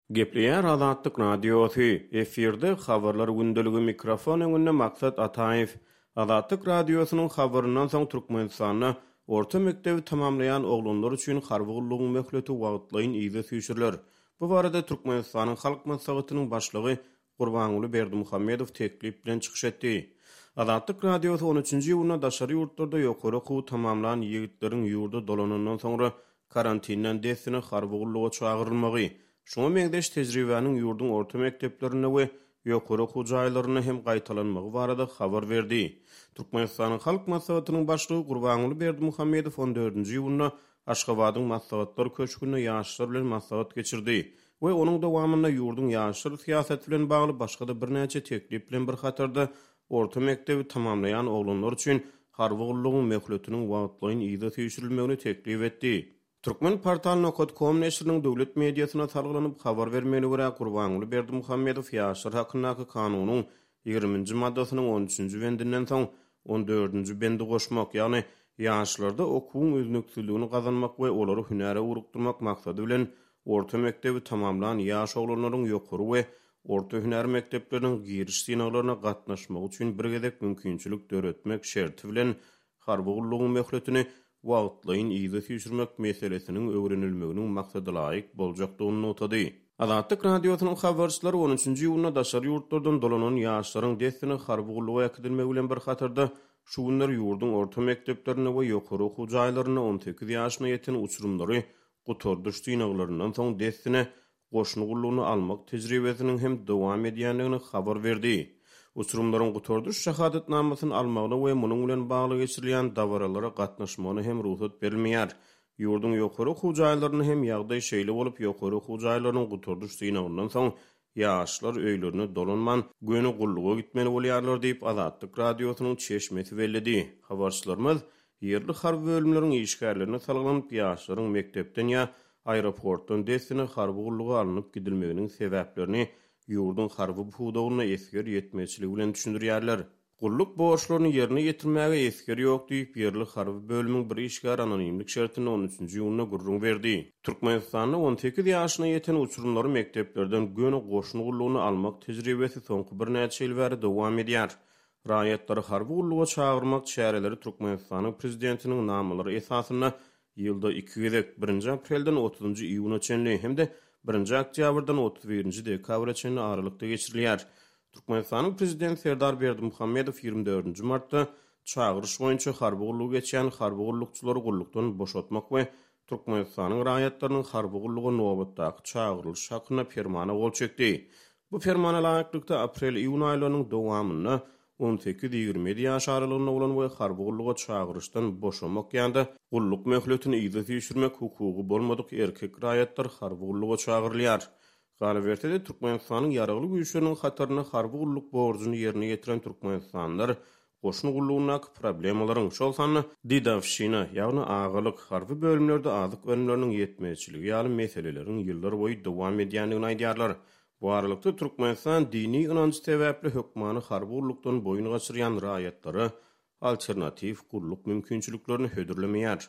Gepleýär Azatlyk Radiosy, efirde Habarlar gündeligi mikrofon öňünde Maksat Ataýew. Azatlyk Radiosynyň habaryndan soň Türkmenistanda orta mekdebi tamamlaýan oglanlar üçin harby gullugyň möhleti wagtlaýyn yza süýşüriler. Bu barada Türkmenistanyň Halk Maslahatynyň Başlygy Gurbanguly Berdimuhamedow teklip bilen çykyş etdi. Azatlyk Radiosy on üçünji iýunda daşary ýurtlarda ýokary okuwy tamamlan ýigitleriň ýurda dolanandan soňra karantinden dessine harby gulluga çagyrylmagy, şuňa meňzeş tejribäniň ýurduň orta mekdeplerinde we ýokary okuw jaýlarynda hem gaýtalanmagy barada habar berdi. Türkmenistanyň Halk Maslahatynyň Başlygy Gurbanguly Berdimuhamedow on dördünji iýunda Aşgabadyň Maslahatlar köşgünde ýaşlar bilen maslahat geçirdi we onuň dowamynda ýurduň ýaşlar syýasaty bilen bagly başga-da birnäçe teklip bilen bir hatarda orta mekdebi tamamlaýan oglanlar üçin harby gullugyň möhletiniň wagtlaýyn yza süýşürilmegini teklip etdi. Turkmenportal nokat kom neşiriniň döwlet mediasyna salgylanyp habar bermegine görä, Gurbanguly Berdimuhamedow ýaşlar hakyndaky kanunyň ýigriminji maddasynyň on üçünji bendinden soň on dördünji bendi goşmak, ýagny ýaşlarda okuwyň üznüksizligini gazanmak we olary hünäre ugrukdyrmak maksady bilen orta mekdebi tamamlan ýaş oglanlaryň ýokary we orta hünär mekdepleriniň giriş synaglaryna gatnaşmagy üçin bir gezek mümkinçilik döretmek şerti bilen harby gullugyň möhletini wagtlaýyn yza süýşürmek meselesiniň öwrenilmeginiň maksadalaýyk boljakdygyny nygtady. Azatlyk Radiosynyň habarçylary on üçünji iýunda daşary ýurtlardan dolanan ýaşlaryň dessine harby gulluga äkidilmegi bilen bir hatarda, şu günler ýurduň orta mekdeplerinde we ýokary okuw jaýlarynda 18 ýaşyna ýeten uçurymlary gutardyş synaglaryndan soň dessine goşun gullugyna almak tejribesiniň hem dowam edýändigini habar berdi. Uçurymlaryň gutardyş şahadatnamasyny almagyna we munuň bilen bagly geçirilýän dabaralara gatnaşmagyna hem rugsat berilmeýär. Ýurduň ýokary okuw jaýlarynda hem ýagdaý şeýle bolup, ýokary okuw jaýlarynyň gutardyş synagyndan soň ýaşlar öýlerine dolanman, göni gulluga gitmeli bolýarlar diýip, Azatlyk Radiosynyň çeşmesi belledi. Habarçylarymyz ýerli harby bölümleriň işgärlerine salgylanyp, ýaşlaryň mekdepden ýa aeroportdan dessine harby gulluga alnyp gidilmeginiň sebäplerini ýurduň harby pudagynda esger ýetmezçiligi bilen düşündirýärler. Gulluk borçlaryny ýerine ýetirmäge esger ýok diýip, ýerli harby bölümiň bir işgäri anonimlik şertinde on üçünji iýunda gürrüň berdi. Türkmenistanda 18 ýaşyna ýeten uçurymlary mekdeplerden göni goşun gullugyna almak tejribesi soňky birnäçe ýyl bäri dowam edýär. Raýatlary harby gulluga çagyrmak çäreleri Türkmenistanyň Prezidentiniň namalary esasynda ýylda iki gezek, birinji aprelden otuzynjy iýuna çenli hem-de birinji oktýabrdan 31-nji dekabra çenli aralykda geçirilýär. Türkmenistanyň Prezidenti Serdar Berdimuhamedow 24-nji martda çagyryş boýunça harby gullugy geçýän harby gullukçylary gullukdan boşatmak we Türkmenistanyň raýatlarynyň harby gulluga nobatdaky çagyrylyşy hakynda Permana gol çekdi. Bu Permana laýyklykda, aprel-iýun aýlarynyň dowamynda on sekiz-ýigrimi ýedi ýaş aralygynda bolan we harby gulluga çagyryşdan boşamak ýa-da gulluk möhletini yza süýşürmek hukugy bolmadyk erkek raýatlar harby gulluga çagyrylýar. Galyberse-de, Türkmenistanyň Ýaragly Güýçleriniň hatarynda harby gulluk borjuny ýerine ýetiren türkmenistanlylar goşun gullugyndaky problemalaryň, şol sanda dedowşina, ýagny agalyk, harby bölümlerde azyk önümleriniň ýetmezçiligi ýaly meseleleriň ýyllarboýy dowam edýändigini aýdýarlar. Bu aralykda, Türkmenistan dini ynanjy sebäpli hökmany harby gullukdan boýun gaçyrýan raýatlara alternatiw gulluk mümkinçiliklerini hödürlemeýär.